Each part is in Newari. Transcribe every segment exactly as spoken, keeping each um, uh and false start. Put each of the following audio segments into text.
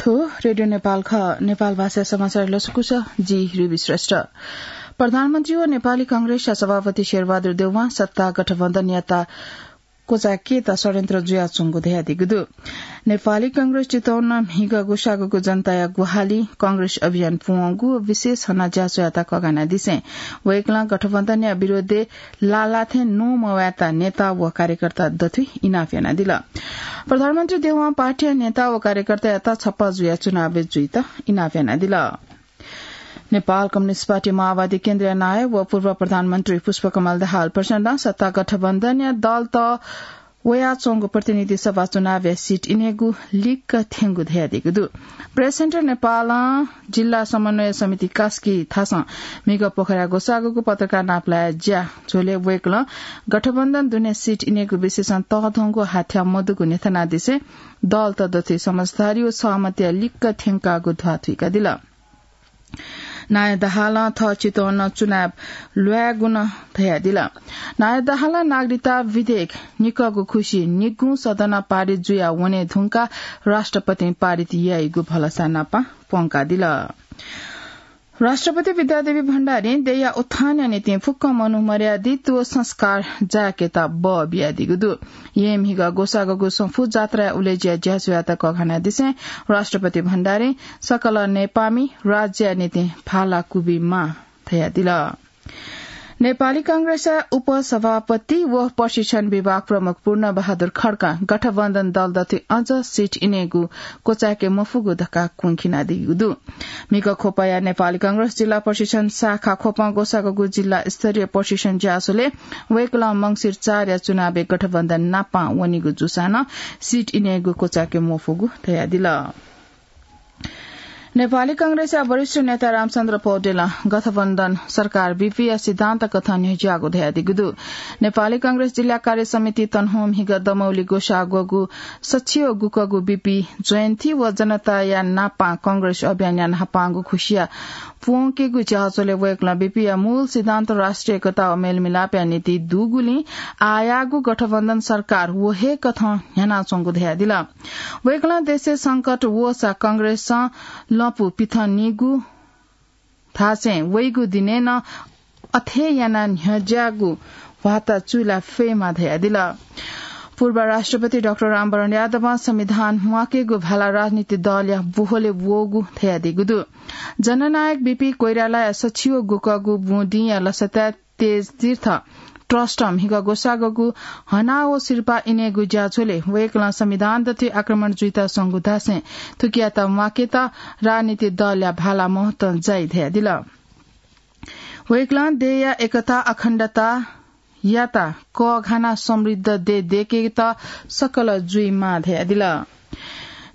रेडियो नेपाल खः। नेपाल भाषा समाचार लसकुस, जि रुबी श्रेष्ठ। प्रधानमन्त्री व नेपाली कांग्रेसया सभापति शेरबहादुर देउवां सत्ता गठबन्धनयात क्वचाय्केत षड्यन्त्र जुयाच्वंगु धयादीगु दु। नेपाली कांग्रेस चितवनं म्हिगः ग्वसाःग्वःगु जनताया ग्वाहालि, कांग्रेस अभियान पूवंगु व विशेष हनाज्याझ्वःयात कःघानादिसें वय्कलं गठबन्धनया विरोधय् लालाथें नुमवय्ता नेता व कार्यकर्ता दथुइ इनाप यानादिल। प्रधानमन्त्री देउवां पार्टीया नेता व कार्यकर्तायात छप्पा जुयाः चुनावय् जुइत इनाप यानादिल। नेपाल कम्युनिस्ट पार्टी माओवादी केन्द्रीय नायः व पूर्व प्रधानमन्त्री पुष्पकमल दाहाल प्रचण्डं सत्ता गठबन्धनया दलत वयाच्वंगु प्रतिनिधि सभा चुनावया सीट इनेगु लिक्क थ्यंगु धयादीगु दु। प्रेस सेन्टर नेपालं जिल्ला समन्वय समिति कास्की थासं म्हिगः पोखराय् ग्वसाःग्वःगु पत्रकार नापलाय् ज्याझ्वलय् वय्कलं गठबन्धन दुने सीट इनेगु विषयसं तःधंगु हाथ्या मदुगु न्ह्यथनादिसें दलत दथुइ समझदारी व सहमतिया लिक्क थ्यंकागु ध्वाथुइकादिल। नायः दाहालं थः चितवनं चुनाव ल्वायेगु नं धयादिल। नायः दाहालं नागरिकता विधेयक निकःगु खुसि निगूं सदनं पारित जुया वने धुंकाः राष्ट्रपतिं पारित याइगु भलसा नापं प्वंकादिल। राष्ट्रपति विद्यादेवी भण्डारीं देय्‌या उत्थानया निंतिं फुक्क मनू मर्यादित व संस्कार जाय्‌केत बः बियादीगु दु। येँ म्हिगः ग्वसाःग्वःगु सफू जात्राया उलेज्या ज्याझ्वःयात कःघानादिसें राष्ट्रपति भण्डारीं सकल नेपामि राज्यया निंतिं भाला क्वबिमाः धयादिल। नेपाली कांग्रेसया उपसभापति व प्रशिक्षण विभाग प्रमुख पूर्णबहादुर खड्कां गठबन्धन दल दथुइ अझ सीट इनेगु क्वचाय्‌के मफुगु धकाः क्वंखिनादीगु दु। म्हिगः ख्वपया नेपाली कांग्रेस जिल्ला प्रशिक्षण शाखा ख्वपं ग्वसाःग्वःगु जिल्ला स्तरीय प्रशिक्षण ज्याझ्वलय् वय्कलं मंसिर चारया चुनावय् गठबन्धन नापं वनीगु जूसां नं सीट इनेगु क्वचाय्‌के मफुगु धयादिल। नेपाली कांग्रेसया वरिष्ठ नेता रामचन्द्र पौडेलं गठबन्धन सरकार बीपिया सिद्धान्त कथं न्ह्यज्याःगु धयादीगु दु। नेपाली कांग्रेस जिल्ला कार्य समिति तनहुं म्हिगः दमौली ग्वसाःग्वःगु सछि व गुकःगु बीपी जयन्ती व जनताया नापं कांग्रेस अभियानया न्हापांगु खुसिया प्वंकेगु ज्याझ्वलय् वय्कलं बीपीया मूल सिद्धान्त राष्ट्रिय एकता व मेलमिलापया निंतिं दुगुलिं आःयाःगु गठबन्धन सरकार व हे कथं न्ह्यानाच्वंगु धयादिल। वय्कलं देशय् संकट वःसा कांग्रेसं लँपु पिथंनीगु धासें वइगु दिनय् नं अथे यानाः न्ह्यज्याःगु ह्वाता चुइला फयेमा धयादिल। पूर्व राष्ट्रपति डाक्टर रामवरण यादवं संविधान म्वाकेगु भाला राजनीतिक दलया बोहलय् वःगु धयादीगु दु। जननायक बीपी कोइरालाया सछि व गुकःगु बुँदिंया लसताय् तेज तीर्थ ट्रस्टं म्हिगः ग्वसाःग्वःगु हना व सिरपाः इनेगु ज्याझ्वलय् वय्कलं संविधान दथुइ आक्रमण जुइत स्वंगु धासें थुकियात म्वाकेत राजनीतिक दलया भाला महत्वं जाइ धयादिल। वय्कलं देय्‌या एकता अखण्डतायात कःघानाः समृद्ध देय् दय्‌केत सकल जुइमाः धयादिल।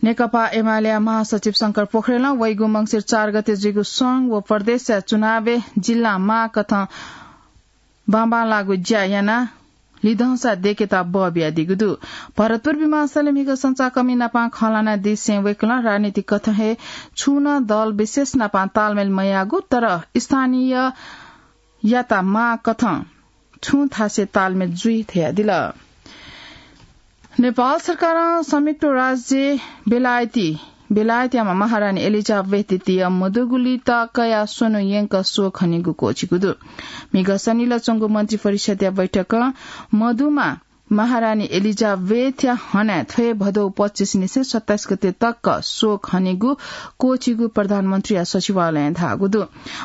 नेकपा एमालेया महासचिव शंकर पोखरेलं वइगु मंसिर चार गते जुइगु संघ व प्रदेशया चुनावय् जिल्लामाः कथं बांबांलाःगु ज्या यानाः लिधंसा दय्‌केत बः बियादीगु दु। भरतपुर विमानस्थलय् म्हिगः संचारकर्मी नापं खँ ल्हानादिसें वय्कलं राजनीतिक कथं हे छुं नं दल विशेष नापं तालमेल मयाःगु, तर स्थानीययात माः कथं छुं थासय् तालमेल जुइ धयादिल। नेपाल सरकारं संयुक्त राज्य बेलायती, बेलायतयाम्ह महारानी एलिजाबेथ द्वितीय मदुगुलिइ तकया स्वन्हु यंक शोक हनेगु क्वःछिकू दु। म्हिगः सनिलय् च्वंगु मन्त्रिपरिषदया बैठकं मदुम्ह महारानी एलिजाबेथया हनाः थ्व भदौ पच्चिस निसें सत्ताइस गते तक शोक हनेगु क्वःछिकू प्रधानमन्त्रीया सचिवालयं धाःगु दु।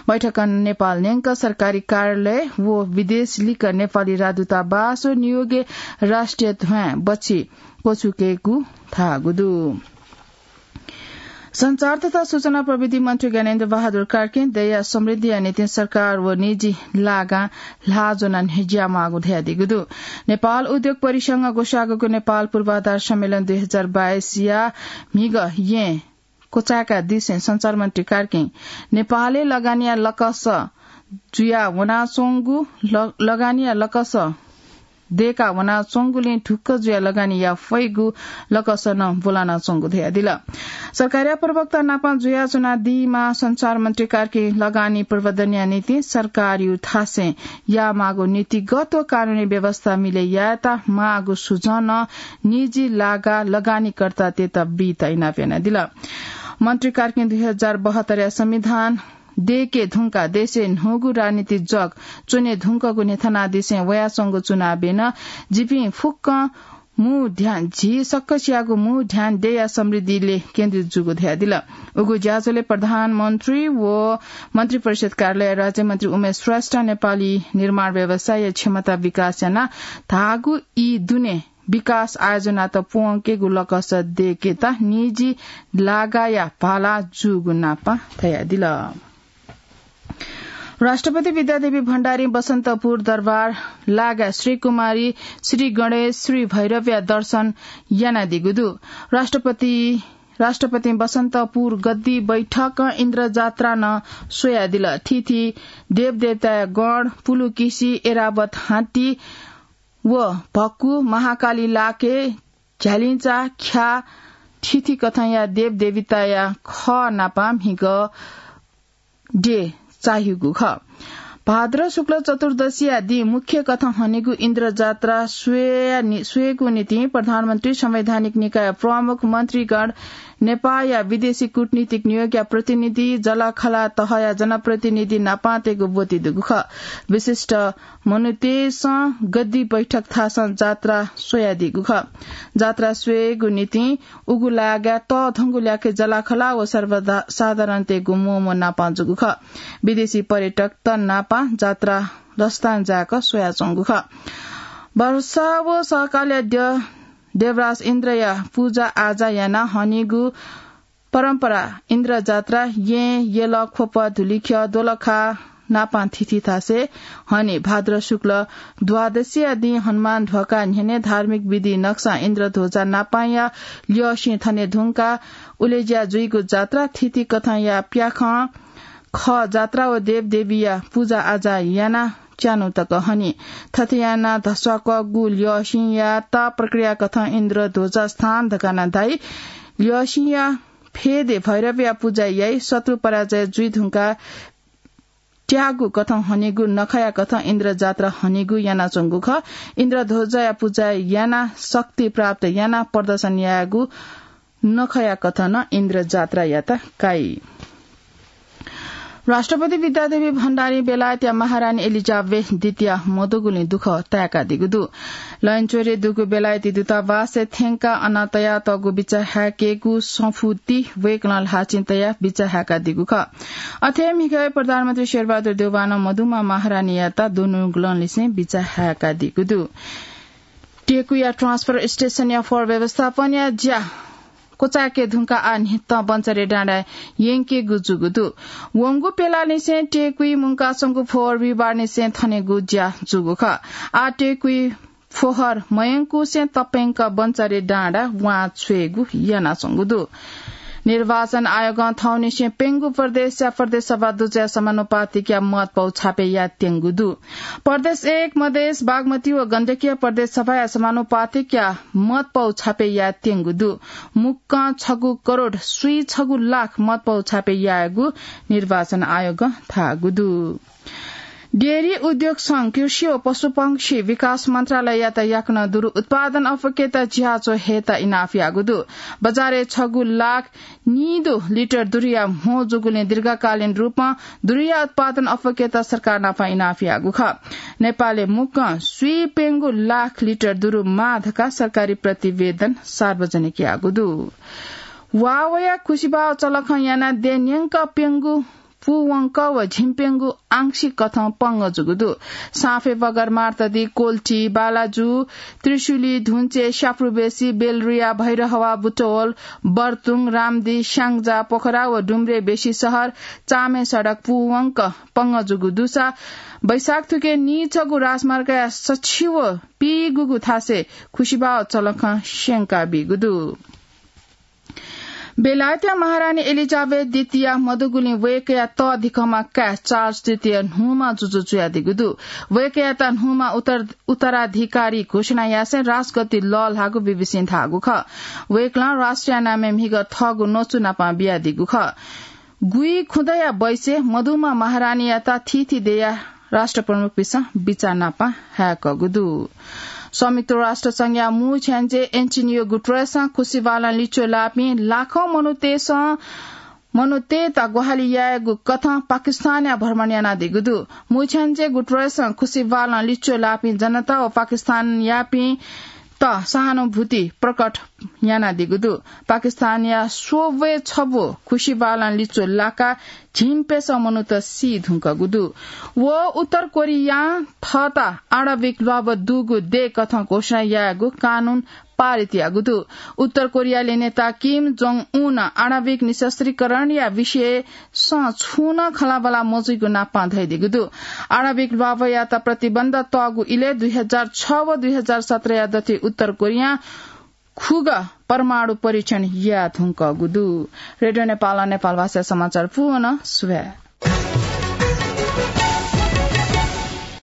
बैठकं नेपाल न्यंक सरकारी कार्यालय व विदेश लिक्क नेपाली राजदूतावास व नियोगय् राष्ट्रिय ध्वाँय् बच्छि क्वछुकेगु धाःगु दु। सञ्चार तथा सूचना प्रविधि मन्त्री ज्ञानेन्द्र बहादुर कार्कीं देय्‌या समृद्धिया निंतिं सरकार व निजी लागां ल्हाः ज्वनाः न्ह्यज्याःमाःगु धयादीगु दु। नेपाल उद्योग परिसंघं ग्वसाःग्वःगु नेपाल पूर्वाधार सम्मेलन दुई हजार बाइसया म्हिगः येँ क्वचाय्‌कादिसें सञ्चार मन्त्री कार्कीं नेपालय् लगानीया लकस जुया वनाच्वंगु, ल-, लगानीया लकस दय्‌का वनाच्वंगुलिं ढुक्क जुयाः लगानी याये फइगु लकस नं ब्वलानाच्वंगु धयादिल। सरकारया प्रवक्ता नापं जुयाच्वनादीम्ह सञ्चार मन्त्री कार्कीं लगानी प्रवर्धनया निंतिं सरकारयु थासय् यायेमाःगु नीतिगत व कानूनी व्यवस्था मिलय् यायेत माःगु सुझाव नं निजी लागा लगानीकर्तातय्‌त बीत इनाप यानादिल। मन्त्री कार्की दुई हजार बहत्तरया संविधान दयेके धुंकाः देशय् न्हूगु राजनीतिक जग च्वने धुंकूगु न्ह्यथनादिसें वयाच्वंगु चुनावय् नं जिपिं फुक्कं मू ध्यान, झी सकसियागु मू ध्यान देय्‌या समृद्धिले केन्द्रित जूगु धयादिल। उगु ज्याझ्वलय् प्रधानमन्त्री व मन्त्रिपरिषद कार्यालय राज्यमन्त्री उमेश श्रेष्ठ नेपाली निर्माण व्यवसायया क्षमता विकास यानाः धाःगु ई दुने विकास आयोजनात प्वंकेगु लकस दयेकेत निजी लागाया भाला जूगु नापं धयादिल। राष्ट्रपति विद्यादेवी भण्डारी बसन्तपुर दरबार लागा श्री कुमारी, श्री गणेश, श्री भैरवया दर्शन यानादीगु दु। राष्ट्रपति, राष्ट्रपतिं बसन्तपुर गद्दी बैठकं इन्द्रजात्रा नं स्वयादिल। थीथी देवदेवताया गण, पुलुकिसि, ऐरावत हात्ती व भक्कु, महाकाली लाके, झ्यालिंचा, ख्या, थीथी कथंया देवदेवताया खः नापं म्हिगः द्यः चाःहिगु खः। भाद्र शुक्ल चतुर्दशीया दिं मुख्य कथं हनीगु इन्द्रजात्रा स्वया नि-, स्वयेगु निंतिं प्रधानमन्त्री, संवैधानिक निकाय प्रमुख, मन्त्रीगण, नेपाःया विदेशी कूटनीतिक नियोगया प्रतिनिधि, जःलाखःला तहया जनप्रतिनिधि नापं तयेगु ब्वति दुगु खः। विशिष्ट मनूतय्‌सं गद्दी बैठक थासं जात्रा स्वयादीगु खः। जात्रा स्वयेगु निंतिं उगु लागाय् तःधंगु ल्याखय् जःलाखःला व सर्वदा-, साधारणतय्‌गु म्वःम्वः नापं जूगु खः। विदेशी पर्यटकत नापं जात्रा रस्तां जाय्‌क स्वयाच्वंगु खः। वर्षा व सहकालया द्यः देवराज इन्द्रया पुजा आजा यानाः हनीगु परम्परा इन्द्रजात्रा येँ, यल, ख्वप, धुलिख्यः, दोलखा नापं थीथी थासय् हनी। भाद्र शुक्ल द्वादशीया दिं हनुमान ध्वका न्ह्यःने धार्मिक विधि नक्सां इन्द्रध्वजा नापंया ल्यःसिं थने धुंकाः उलेज्या जुइगु जात्रा थीथी कथंया प्याखं खः जात्रा व देवदेवीया पुजा आजा यानाः च्यान्हु तक हनी। थथे यानाः धस्वाकःगु ल्यःसिंयात प्रक्रिया कथं इन्द्रध्वजा स्थान धकाः नं धाइ। ल्यःसिंया फेदय् भैरवया पुजा याइ। शत्रु पराजय जुइ धुंकाः त्याःगु कथं हनीगु नखःया कथं इन्द्रजात्रा हनीगु यानाच्वंगु खः। इन्द्रध्वजाया पुजा यानाः शक्ति प्राप्त यानाः प्रदर्शन यायेगु नखःया कथं नं इन्द्रजात्रायात काइ। राष्ट्रपति विद्यादेवी भण्डारीं बेलायतया महारानी एलिजाबेथ द्वितीया मदुगुलिं दुःख ताय्‌कादीगु दु। लैनचोरे दुगु बेलायती दूतावासय् थ्यंकाः अन तयातःगु बिचाः हाय्‌केगु सफुती वय्‌कलं ल्हाःचिं तयाः बिचाः हाय्‌कादीगु खः। अथे म्हिगः प्रधानमन्त्री शेरबहादुर देउवानं मदुम्ह महारानीयात दुनुगलंनिसें बिचाः हाय्‌कादीगु दु। टेकुया ट्रान्सफर स्टेसनया फोहोर व्यवस्थापनया ज्या क्वचाय्‌के धुंकाः आः न्हितं बन्चरे डाँडाय् यंकेगु जूगु दु। वंगु प्यलानिसें टेकुइ मुंकाच्वंगु फोहोर बिहिबारनिसें थनेगु ज्या जूगु खः। आः टेकुइ फोहोर मयंकुसें तप्यंक बन्चरे डाँडा वां छ्वयेगु यानाच्वंगु दु। निर्वाचन आयोगं थौंनिसें प्यंगू प्रदेशया प्रदेश सभा दुजःया समानुपातिकया मत पौ छापे यायेत्यंगु दु। प्रदेश एक मधेस, बागमती व गण्डकीया प्रदेश सभाया समानुपातिकया मत पौ छापे यायेत्यंगु दु। मुक्कं छगू करोड स्वीं छगू लाख मत पौ छापे यायेगु निर्वाचन आयोगं धाःगु दु। डेयरी उद्योग संघ कृषि व पशुपक्षी विकास मन्त्रालययात याकनं दुरु उत्पादन अफकेत झिहाच्वः हयेत इनाप याःगु दु। बजारय् छगू लाख नीदु लिटर दुरुया म्हो जूगुलिं दीर्घकालीन रूपं दुरुया उत्पादन अफकेत सरकार नाप इनाप याःगु खः। नेपालय् मुक्कं स्वीप्यंगू लाख लिटर दुरु माः धकाः सरकारी प्रतिवेदन सार्वजनिक याःगु दु। वावया खुसिबाव चलखं यानाः देय् न्यंक प्यंगू पूवंक व झिंप्यंगू आंशिक कथं पंगः जूगु दु। साँफे, बगर, मार्तदी, कोल्ठी, बालाजु, त्रिशुली, धुन्चे, स्याप्रुबेसी, बेलरुया, भैरहवा, बुटवल, बर्तुङ, रामदी, स्याङ्जा, पोखरा व डुम्रे बेसी शहर चामे सडक पूवंक पंगः जूगु दुसा वैशाख थुके नीछगू राजमार्गया सछिव पीगुगु थासय् खुसिबाव चलखं स्यंका बीगु दु। बेलायतया महारानी एलिजाबेथ द्वितीया मदुगुलिं वय्‌कःया तःधिकःम्ह काय् चार्ल्स तृतीय न्हूम्ह जुजु जुयादीगु दु। वय्‌कःयात न्हूम्ह उत्तर-, उत्तराधिकारी घोषणा यासें राजगद्दी लःल्हाःगु बीबीसीं धाःगु खः। वय्‌कलं राष्ट्रिय नामय् म्हिगः थःगु नचु नापं बियादीगु खः। गुइखुदँया बैसय् मदुम्ह महारानीयात थीथी देयाः राष्ट्रप्रमुखपिसं बिचाः नापं हाय्‌कःगु दु। संयुक्त राष्ट्र संघया मू छ्याञ्जे एन्टोनियो गुटरेसं खुसिबालं लिच्वः लाःपिं लाखौं मनूतय्सं मनूतय्त ग्वाहालि यायेगु कथं पाकिस्तानया भ्रमण यानादीगु दु। मू छ्याञ्जे गुटरेसं खुसिबालं लिच्वः लाःपिं जनता व पाकिस्तानयापिं त सहानुभूति प्रकट यानादीगु दु। पाकिस्तानया स्वब्वय् छब्व खुसिबालं लिच्वः लाकाः झिंप्यसः मनूत सी धुंकूगु दु। व उत्तर कोरियां थःत आणविक ल्वाभ दुगु देय् कथं घोषणा यायेगु कानून पारित याःगु दु। उत्तर कोरियाय् नेता किम जोङ उन आणविक निशस्त्रीकरणया विषयसं छुं नं खँल्हाबल्हा मजुइगु नापं धयादीगु दु। आणविक ल्वाभयात प्रतिबन्ध तःगु इलय् दुई हजार छ व दुई हजार सत्रया दथुइ उत्तर कोरियां खुगः परमाणु परीक्षण याये धुंकूगु दु। रेडियो नेपालं नेपाल भाषा समाचार पूवन सुभाय्।